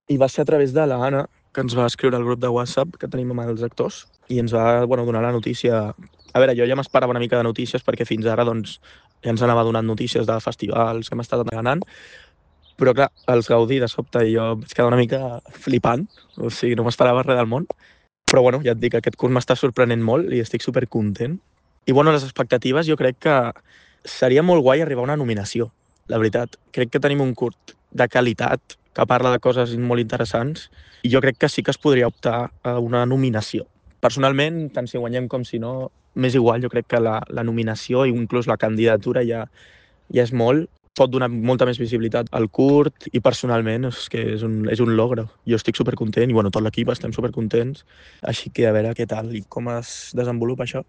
I va ser a través de l'Anna, que ens va escriure al grup de WhatsApp que tenim amb els actors, i ens va donar la notícia. A veure, jo ja m'esperava una mica de notícies, perquè fins ara doncs, ja ens anava donant notícies de festivals que hem estat anant, però clar, els Gaudí de sobte i jo vaig quedar una mica flipant, o sigui, no m'esperava res del món. Però bueno, ja et dic, aquest curt m'està sorprenent molt i estic supercontent. I bueno, les expectatives jo crec que seria molt guai arribar a una nominació, la veritat. Crec que tenim un curt de qualitat que parla de coses molt interessants i jo crec que sí que es podria optar a una nominació. Personalment, tant si guanyem com si no, m'és igual, jo crec que la nominació i inclús la candidatura ja és molt, pot donar molta més visibilitat al curt i personalment és que és un logre. Jo estic supercontent i bueno, tot l'equip estem supercontents, així que a veure què tal i com es desenvolupa això.